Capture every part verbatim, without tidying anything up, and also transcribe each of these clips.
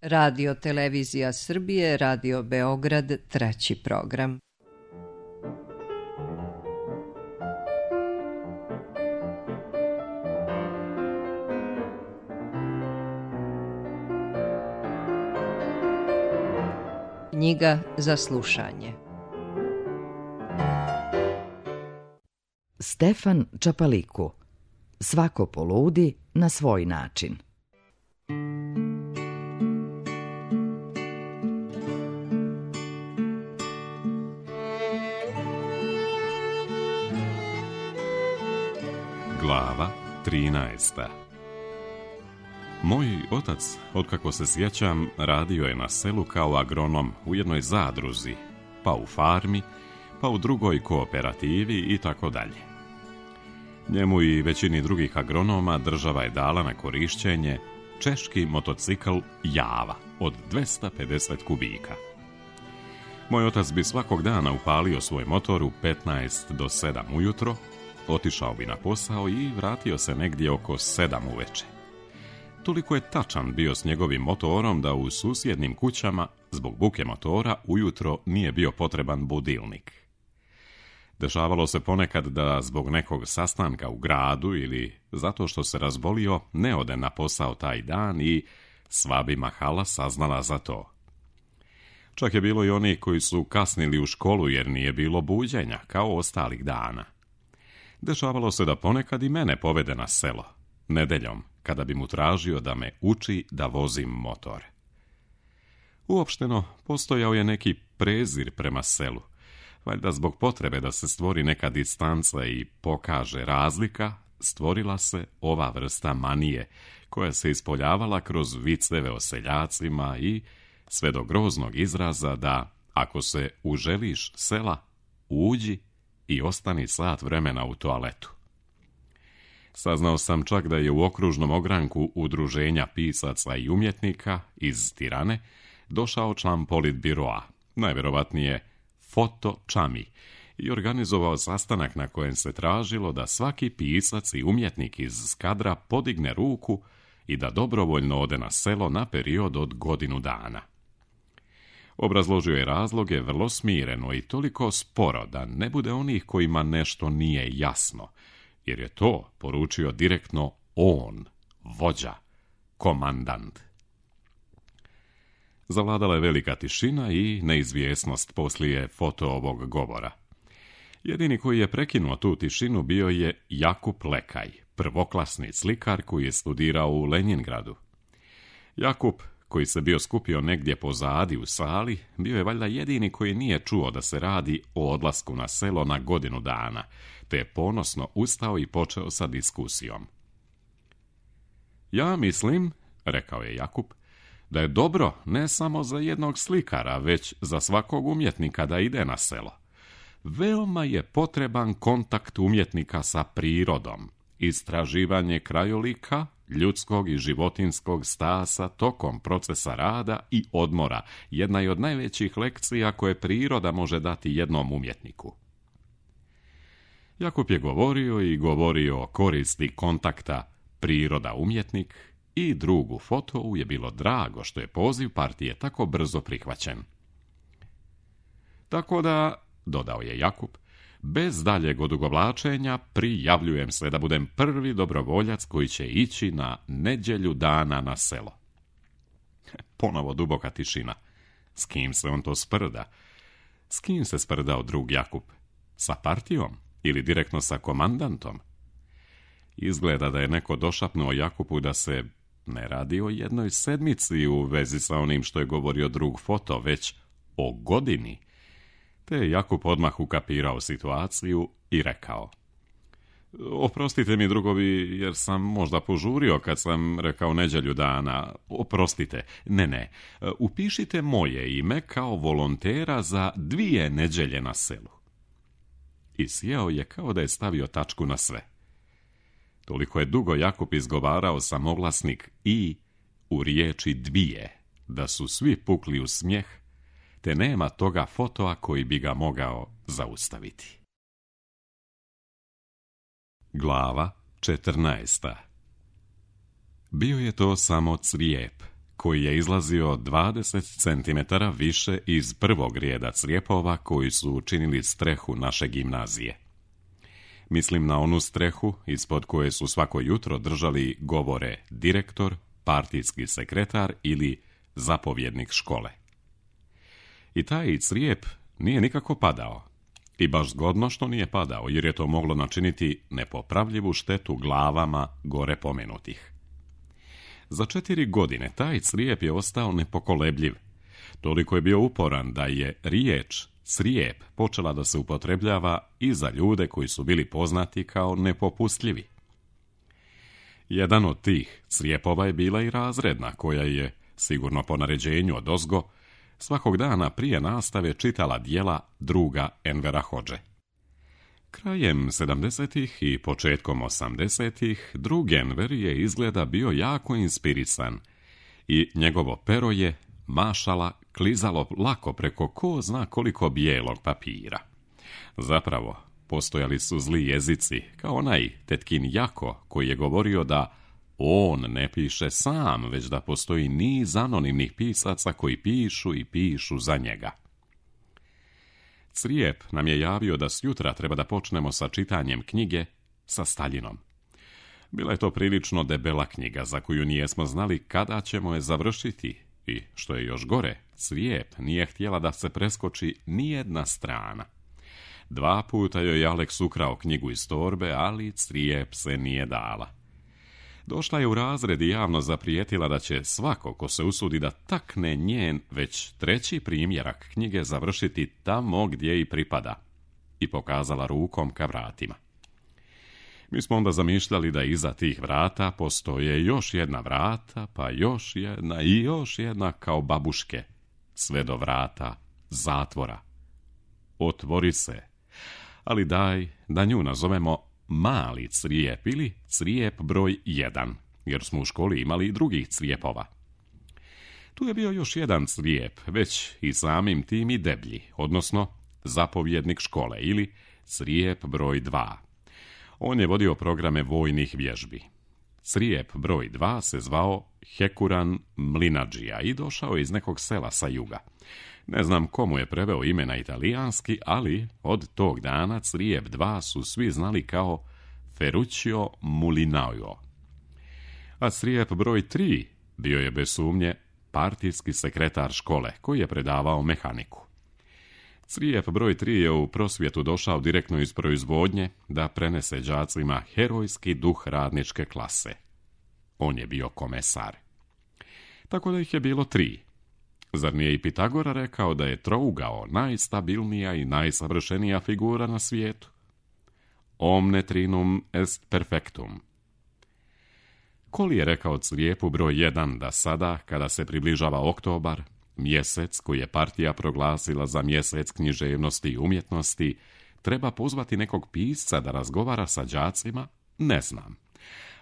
Radio Televizija Srbije, Radio Beograd, treći program. Knjiga za slušanje. Stefan Čapaliku. Svako poludi na svoj način. Glava trinaesta. Moj otac, otkako se sjećam, radio je na selu kao agronom u jednoj zadruzi, pa u farmi, pa u drugoj kooperativi i tako dalje. Njemu i većini drugih agronoma država je dala na korišćenje češki motocikl Java od dvesta pedeset kubika. Moj otac bi svakog dana upalio svoj motor u petnaest do sedam ujutro, otišao bi na posao i vratio se negdje oko sedam uveče. Toliko je tačan bio s njegovim motorom da u susjednim kućama, zbog buke motora, ujutro nije bio potreban budilnik. Dešavalo se ponekad da zbog nekog sastanka u gradu ili zato što se razbolio ne ode na posao taj dan i sva bi mahala saznala za to. Čak je bilo i oni koji su kasnili u školu jer nije bilo buđenja, kao ostalih dana. Dešavalo se da ponekad i mene povede na selo, nedeljom, kada bi mu tražio da me uči da vozim motor. Uopšteno, postojao je neki prezir prema selu, valjda zbog potrebe da se stvori neka distanca i pokaže razlika, stvorila se ova vrsta manije, koja se ispoljavala kroz viceve o seljacima i sve do groznog izraza da, ako se uželiš sela, uđi i ostani sat vremena u toaletu. Saznao sam čak da je u okružnom ogranku udruženja pisaca i umjetnika iz Tirane došao član politbiroa, najvjerovatnije Foto Čami, i organizovao sastanak na kojem se tražilo da svaki pisac i umjetnik iz Skadra podigne ruku i da dobrovoljno ode na selo na period od godinu dana. Obrazložio je razloge vrlo smireno i toliko sporo da ne bude onih kojima nešto nije jasno, jer je to poručio direktno on, vođa, komandant. Zavladala je velika tišina i neizvjesnost poslije Foto ovog govora. Jedini koji je prekinuo tu tišinu bio je Jakub Lekaj, prvoklasni slikar koji je studirao u Lenjingradu. Jakub, koji se bio skupio negdje pozadi u sali, bio je valjda jedini koji nije čuo da se radi o odlasku na selo na godinu dana, te je ponosno ustao i počeo sa diskusijom. Ja mislim, rekao je Jakub, da je dobro ne samo za jednog slikara, već za svakog umjetnika da ide na selo. Veoma je potreban kontakt umjetnika sa prirodom, istraživanje krajolika, ljudskog i životinskog stasa tokom procesa rada i odmora, jedna je od najvećih lekcija koje priroda može dati jednom umjetniku. Jakub je govorio i govorio o koristi kontakta priroda-umjetnik i drugu Fotovu je bilo drago što je poziv partije tako brzo prihvaćen. Tako da, dodao je Jakub, bez daljeg odugovlačenja prijavljujem se da budem prvi dobrovoljac koji će ići na nedjelju dana na selo. Ponovo duboka tišina. S kim se on to sprda? S kim se sprdao drug Jakub? Sa partijom ili direktno sa komandantom? Izgleda da je neko došapnuo Jakubu da se ne radi o jednoj sedmici u vezi sa onim što je govorio drug Foto, već o godini. Te je Jakub odmah ukapirao situaciju i rekao: Oprostite mi, drugovi, jer sam možda požurio kad sam rekao nedjelju dana. Oprostite, ne, ne, upišite moje ime kao volontera za dvije nedjelje na selu. I sjeo je kao da je stavio tačku na sve. Toliko je dugo Jakub izgovarao samoglasnik i u riječi dvije, da su svi pukli u smijeh, te nema toga Fotoa koji bi ga mogao zaustaviti. Glava četrnaesta. Bio je to samo crijep, koji je izlazio dvadeset centimetara više iz prvog rijeda crijepova koji su učinili strehu naše gimnazije. Mislim na onu strehu ispod koje su svako jutro držali govore direktor, partijski sekretar ili zapovjednik škole. I taj crijep nije nikako padao. I baš zgodno što nije padao, jer je to moglo načiniti nepopravljivu štetu glavama gore pomenutih. Za četiri godine taj crijep je ostao nepokolebljiv. Toliko je bio uporan da je riječ crijep počela da se upotrebljava i za ljude koji su bili poznati kao nepopustljivi. Jedan od tih crijepova je bila i razredna, koja je, sigurno po naređenju odozgo, svakog dana prije nastave čitala djela druga Envera Hodže. Krajem sedamdesetih i početkom osamdesetih drug Enver je izgleda bio jako inspirisan i njegovo pero je, mašala, klizalo lako preko ko zna koliko bijelog papira. Zapravo, postojali su zli jezici, kao onaj tetkin Jako koji je govorio da on ne piše sam, već da postoji niz anonimnih pisaca koji pišu i pišu za njega. Crijep nam je javio da sjutra treba da počnemo sa čitanjem knjige sa Staljinom. Bila je to prilično debela knjiga za koju nijesmo znali kada ćemo je završiti i, što je još gore, Crijep nije htjela da se preskoči nijedna strana. Dva puta joj je Aleks ukrao knjigu iz torbe, ali Crijep se nije dala. Došla je u razred i javno zaprijetila da će svako ko se usudi da takne njen već treći primjerak knjige završiti tamo gdje i pripada, i pokazala rukom ka vratima. Mi smo onda zamišljali da iza tih vrata postoje još jedna vrata, pa još jedna i još jedna kao babuške, sve do vrata zatvora. Otvori se, ali daj da nju nazovemo mali crijep ili crijep broj jedan, jer smo u školi imali i drugih crijepova. Tu je bio još jedan crijep, već i samim tim i deblji, odnosno zapovjednik škole ili crijep broj dva. On je vodio programe vojnih vježbi. Crijep broj dva se zvao Hekuran Mlinadžija i došao je iz nekog sela sa juga. Ne znam komu je preveo ime na italijanski, ali od tog dana crijep dva su svi znali kao Ferruccio Mulinao. A crijep broj tri bio je bez sumnje partijski sekretar škole koji je predavao mehaniku. Crijep broj tri je u prosvjetu došao direktno iz proizvodnje da prenese đacima herojski duh radničke klase. On je bio komesar. Tako da ih je bilo tri. Zar nije i Pitagora rekao da je trougao najstabilnija i najsavršenija figura na svijetu? Omne trinum est perfectum. Koli je rekao crijepu broj jedan da sada, kada se približava oktobar, mjesec koji je partija proglasila za mjesec književnosti i umjetnosti, treba pozvati nekog pisca da razgovara sa đacima? Ne znam.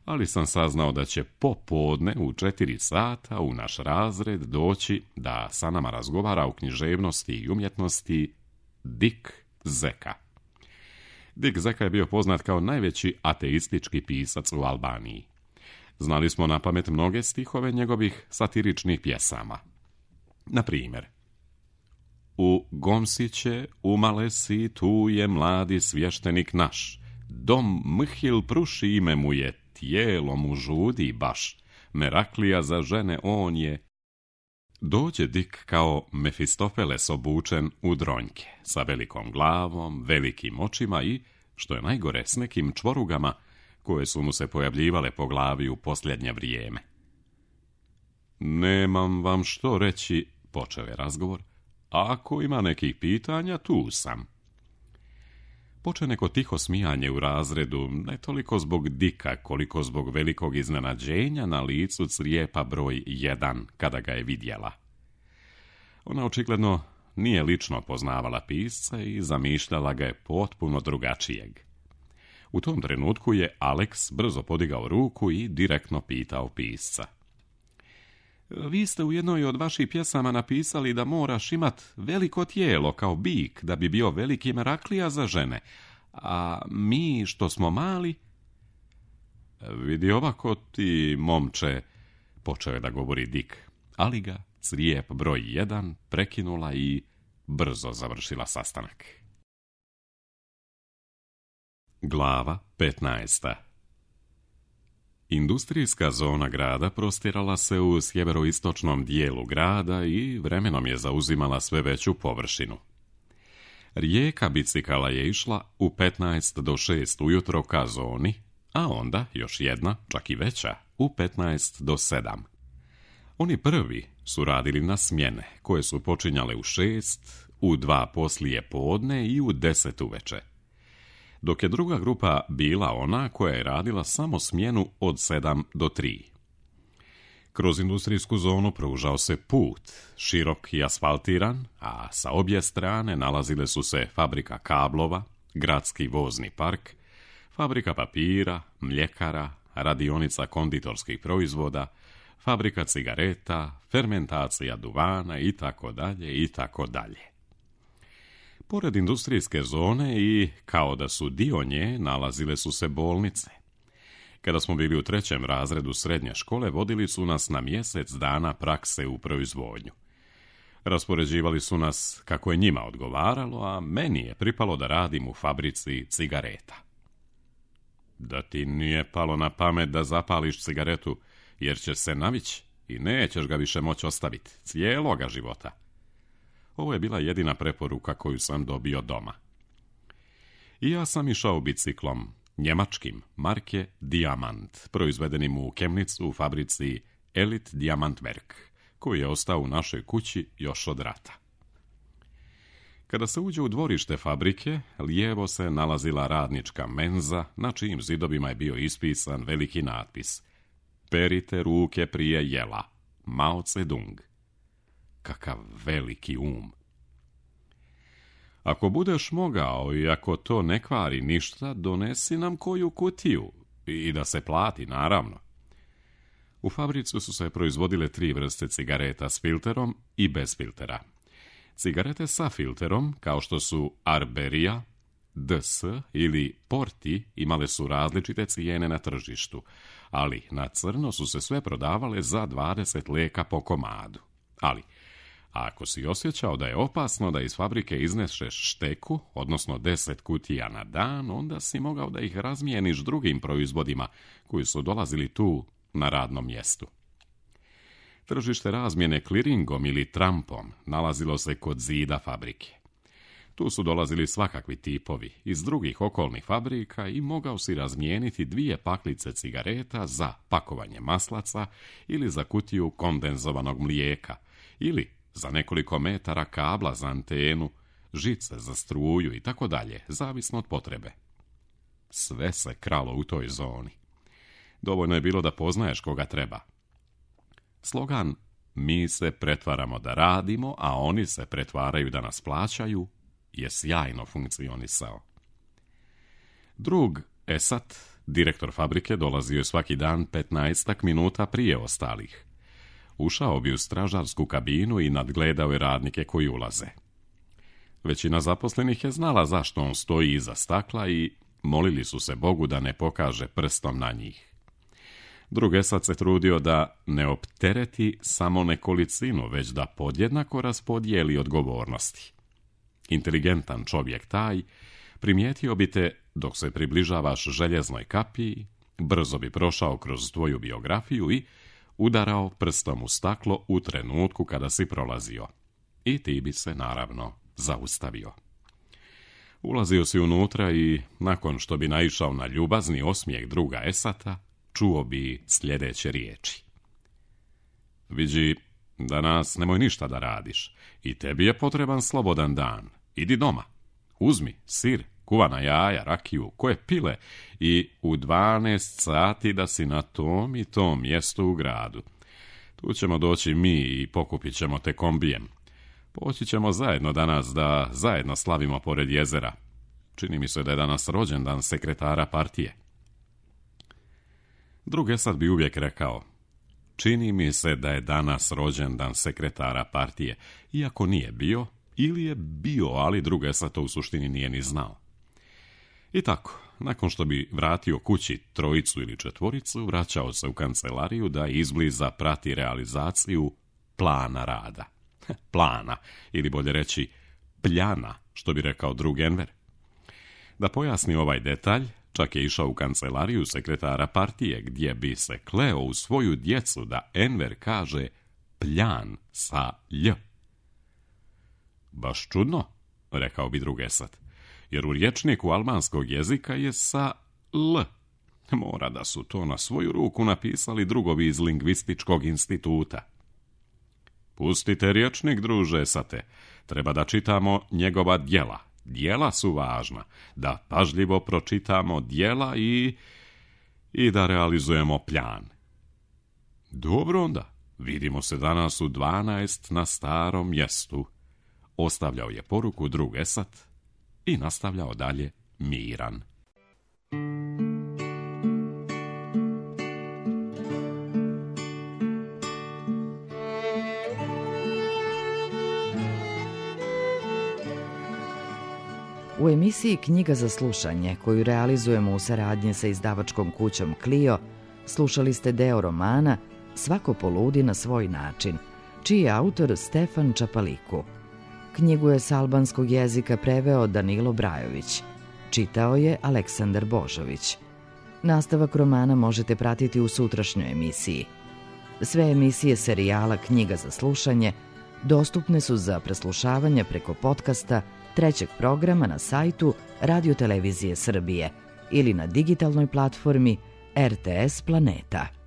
Ali sam saznao da će popodne u četiri sata u naš razred doći da sa nama razgovara o književnosti i umjetnosti Dik Zeka. Dik Zeka je bio poznat kao najveći ateistički pisac u Albaniji. Znali smo na pamet mnoge stihove njegovih satiričnih pjesama. Na primjer, u Gomsiće umale si, tu je mladi svještenik naš, dom Mhil pruši ime mu je, tijelo mu žudi baš, Meraklija za žene on je. Dođe Dik kao Mefistofeles obučen u dronjke, sa velikom glavom, velikim očima i, što je najgore, s nekim čvorugama koje su mu se pojavljivale po glavi u posljednje vrijeme. Nemam vam što reći, počeo je razgovor, ako ima nekih pitanja, tu sam. Poče neko tiho smijanje u razredu, ne toliko zbog Dika, koliko zbog velikog iznenađenja na licu crijepa broj jedan, kada ga je vidjela. Ona očigledno nije lično poznavala pisca i zamišljala ga je potpuno drugačijeg. U tom trenutku je Aleks brzo podigao ruku i direktno pitao pisca. Vi ste u jednoj od vaših pjesama napisali da moraš imat veliko tijelo kao bik da bi bio veliki Meraklija za žene, a mi što smo mali... Vidi ovako ti, momče, počeo je da govori Dik. ali ga crijep broj jedan prekinula i brzo završila sastanak. Glava petnaesta. Industrijska zona grada prostirala se u sjeveroistočnom dijelu grada i vremenom je zauzimala sve veću površinu. Rijeka bicikala je išla u petnaest do šest ujutro ka zoni, a onda još jedna, čak i veća, u petnaest do sedam. Oni prvi su radili na smjene, koje su počinjale u šest, u dva poslije podne i u deset uveče. Dok je druga grupa bila ona koja je radila samo smjenu od sedam do tri. Kroz industrijsku zonu pružao se put, širok i asfaltiran, a sa obje strane nalazile su se fabrika kablova, gradski vozni park, fabrika papira, mljekara, radionica konditorskih proizvoda, fabrika cigareta, fermentacija duvana i tako dalje i tako dalje. Pored industrijske zone i kao da su dio nje nalazile su se bolnice. Kada smo bili u trećem razredu srednje škole, vodili su nas na mjesec dana prakse u proizvodnju. Raspoređivali su nas kako je njima odgovaralo, a meni je pripalo da radim u fabrici cigareta. Da ti nije palo na pamet da zapališ cigaretu, jer ćeš se navići i nećeš ga više moći ostaviti cijeloga života. Ovo je bila jedina preporuka koju sam dobio doma. I ja sam išao biciklom, njemačkim, marke Diamant, proizvedenim u Chemnitzu u fabrici Elit Diamantwerk, koji je ostao u našoj kući još od rata. Kada se uđe u dvorište fabrike, lijevo se nalazila radnička menza, na čijim zidovima je bio ispisan veliki natpis: Perite ruke prije jela, Mao Zedong. Kakav veliki um! Ako budeš mogao i ako to ne kvari ništa, donesi nam koju kutiju i da se plati, naravno. U fabrici su se proizvodile tri vrste cigareta s filterom i bez filtera. Cigarete sa filterom, kao što su Arberia, D S ili Porti, imale su različite cijene na tržištu, ali na crno su se sve prodavale za dvadeset leka po komadu. Ali ako si osjećao da je opasno da iz fabrike izneseš šteku, odnosno deset kutija na dan, onda si mogao da ih razmijeniš drugim proizvodima koji su dolazili tu na radnom mjestu. Tržište razmjene kliringom ili trampom nalazilo se kod zida fabrike. Tu su dolazili svakakvi tipovi iz drugih okolnih fabrika i mogao si razmijeniti dvije paklice cigareta za pakovanje maslaca ili za kutiju kondenzovanog mlijeka ili za nekoliko metara kabla za antenu, žice za struju i tako dalje, zavisno od potrebe. Sve se kralo u toj zoni. Dovoljno je bilo da poznaješ koga treba. Slogan "Mi se pretvaramo da radimo, a oni se pretvaraju da nas plaćaju" je sjajno funkcionisao. Drug Esat, direktor fabrike, dolazio je svaki dan petnaestak minuta prije ostalih. Ušao bi u stražarsku kabinu i nadgledao je radnike koji ulaze. Većina zaposlenih je znala zašto on stoji iza stakla i molili su se Bogu da ne pokaže prstom na njih. Drug Esat se trudio da ne optereti samo nekolicinu, već da podjednako raspodijeli odgovornosti. Inteligentan čovjek taj primijetio bi te dok se približavaš željeznoj kapiji, brzo bi prošao kroz tvoju biografiju i udarao prstom u staklo u trenutku kada si prolazio. I ti bi se, naravno, zaustavio. Ulazio si unutra i, nakon što bi naišao na ljubazni osmijeh druga Esata, čuo bi sljedeće riječi. Viđi, danas nemoj ništa da radiš i tebi je potreban slobodan dan. Idi doma, uzmi sir, kuvana jaja, rakiju, koje pile i u dvanaest sati da si na tom i tom mjestu u gradu. Tu ćemo doći mi i pokupit ćemo te kombijem. Poći ćemo zajedno danas da zajedno slavimo pored jezera. Čini mi se da je danas rođendan sekretara partije. Drug Esat bi uvijek rekao: čini mi se da je danas rođendan sekretara partije, iako nije bio, ili je bio, ali drug Esat to u suštini nije ni znao. I tako, nakon što bi vratio kući trojicu ili četvoricu, vraćao se u kancelariju da izbliza prati realizaciju plana rada. Plana, ili bolje reći pljana, što bi rekao drug Enver. Da pojasni ovaj detalj, čak je išao u kancelariju sekretara partije, gdje bi se kleo u svoju djecu da Enver kaže pljan sa lj. Baš čudno, rekao bi drug Esad, jer u rječniku albanskog jezika je sa l. Mora da su to na svoju ruku napisali drugovi iz lingvističkog instituta. Pustite rječnik, druže Esate, treba da čitamo njegova djela. Djela su važna, da pažljivo pročitamo djela i... i da realizujemo pljan. Dobro onda, vidimo se danas u dvanaest na starom mjestu. Ostavljao je poruku drug Esad i nastavljao dalje miran. U emisiji Knjiga za slušanje, koju realizujemo u saradnji sa izdavačkom kućom Clio, slušali ste deo romana Svako poludi na svoj način, čiji je autor Stefan Čapaliku. Knjigu je s albanskog jezika preveo Danilo Brajović. Čitao je Aleksandar Božović. Nastavak romana možete pratiti u sutrašnjoj emisiji. Sve emisije serijala Knjiga za slušanje dostupne su za preslušavanje preko podcasta trećeg programa na sajtu Radio Televizije Srbije ili na digitalnoj platformi R T S Planeta.